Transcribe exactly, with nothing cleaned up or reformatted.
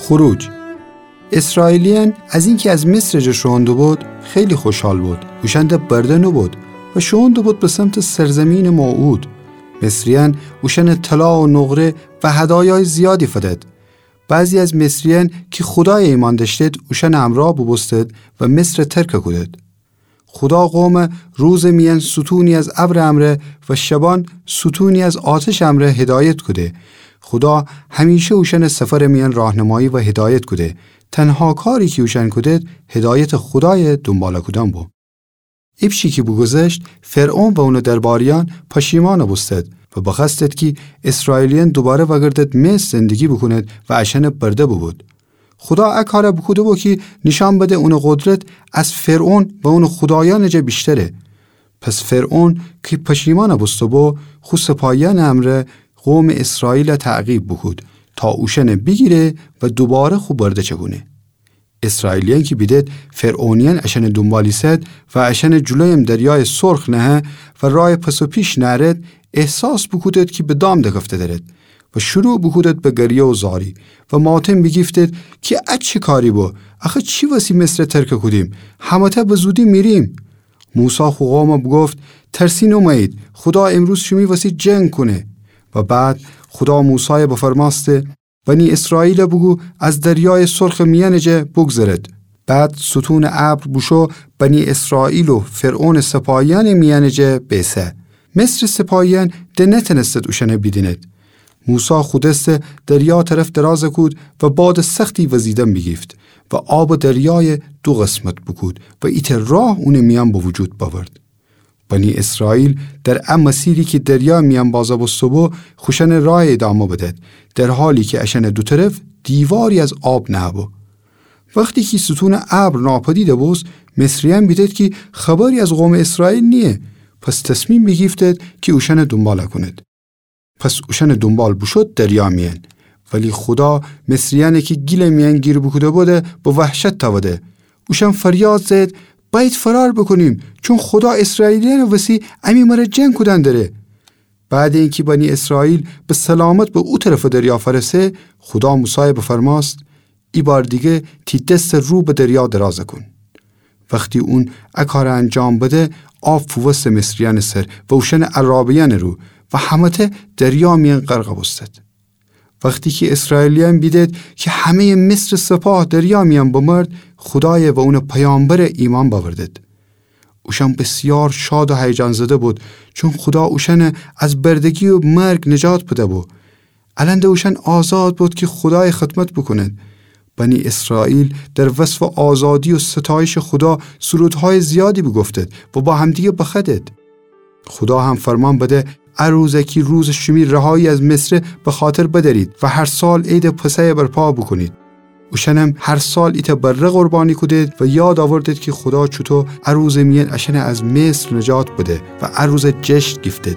خروج. اسرائیلیأن از اینکی از مصر جا شوئون دوبود، خیلی خوشحال بود. اوشأن ده برده نوبود و شوئون دوبود به سمتٚ سرزیمینٚ موعود. مصریأن اوشأنَ طلا و نقره و هدایایٚ زیادی فدد. بعضی از مصریأن کی خودایَ ایمأن دأشتید، اوشأنٚ امرأ بوبوستد و مصرَ ترکَ کودید. خودا قومَ روزٚ میأن ستونی از ابرٚ امرأ و شبأن ستونی از آتشٚ امرأ هدایت کوده. خودا همیشه اوشأنَ سفرٚ میأن راهنمایی و هدایت کوده. تنها کاری کی اوشأن کودید، هدایتٚ خودایَ دونبالَ کودن بو. ایپچی کی بوگوذشت، فرعون و اونٚ درباریأن پشیمأنَ بوستد و بخوأستد کی اسرائیلیأن دوباره وأگردد مصر زندگی بوکونید و اشأنَ برده بوبود. خودا ا کارَ بوکوده بو کی نیشأن بده اونٚ قدرت از فرعون و اونٚ خودایأنٚ جا ویشتره. پس فرعون کی پشیمأنَ بوسته بو، خو سپاهیأنٚ امرأ قومٚ اسرائیلَ تعقیب بوکود تا اوشأنَ بیگیره و دوباره خو برده چکونه. اسرائیلیأن کی بیدد فرعونیأن اشأنٚ دونبال ایسد و اشأنٚ جلویم دریایٚ سرخ نهه و رایَ پس و پیش نأرد، احساس بوکودد کی به دام دکفته درد و شروع بوکودد به گریه و زاری و ماتم بیگیفتد کی ا چی کاری بو؟ آخه چی وسی مصرَ ترکَ کودیم؟ همه‌تأ به زودی میریم. موسی خو قومَ بوگفت: ترسین اومه‌یید، خودا امروز شیمی وسی جنگ کونه. و بعد خودا موسایَ بفرمأسته: بنی اسرائیلَ بوگو از دریایٚ سرخٚ میأنٚ جا بوگذرد. بعد ستونٚ ابر بوشو بنی اسرائیل و فرعونٚ سپاهیأنٚ میأنٚ جا بیسه. مصرٚ سپاهیأن ده نتأنستد اوشأنَ بیدیند. موسی خو دسَ دریا طرف درازَ کود و بادٚ سختی وزیدن بیگیفت و آبٚ دریایَ دو قسمت بوکود و ایتأ راه اونٚ میأن به وجود بأورد. بنی اسرائیل در ا مسیری کی دریا میأن بازَ بوسته بو، خوشأنٚ رایَ ادامه بدد، در حالی کی اشأنٚ دو طرف دیواری از آب نهه بو. وختی کی ستونٚ ابر ناپدید بوست، مصریأن بیدد کی خبری از قومٚ اسرائیل نییه، پس تصمیم بیگیفتد کی اوشأنَ دونبالَ کونید. پس اوشأنٚ دونبال بوشود دریا میأن. ولی خودا مصریأنَ کی گیلٚ میأن گیر بوکوده بودی، به وحشت تأوده. اوشأن فریاد زأیید: بأیید فرار بوکونیم، چون خودا اسرائیلیأنٚ وسی امی مره جنگ کودن دره. بعدٚ اینکی بنی اسرائیل به سلامت به او طرفٚ دریا فأرسه، خودا موسایَ بفرمأست: ایبار دیگه تی دسَ رو به دریا درازَ کون. وختی اون ا کارَ انجام بده، آب فووسته مصریأنٚ سر و اوشأنٚ عرابه‌یأنٚ رو و همه‌تأ دریا میأن غرقَ بوستد. وختی کی اسرائیلیأن بیدد کی همه‌یٚ مصرٚ سپاه دریا میأن بمرد، خودایَ و اونٚ پیامبرَ ایمأن بأوردد. اوشأن بسیار شاد و هیجان‌زده بود، چون خودا اوشأنَ از بردگی و مرگ نجات بده بو. الأن ده اوشأن آزاد بود کی خودایَ خدمت بوکونید. بنی اسرائیل در وصفٚ آزادی و ستایشٚ خودا سرودهایٚ زیادی بوگفتد و با همدیگه بخوأدد. خودا هم فرمان بده: ا روز کی روزٚ شیمی رهایی از مصره بخاطر بدأرید و هر سال عیدٚ پسحَ برپا بوکونید. اوشأنم هر سال ایتأ بره قربانی کودید و یاد آوردید کی خودا چوطو ا روزٚ میأن اشأنَ از مصر نجات بده و ا روزَ جشن گیفتید.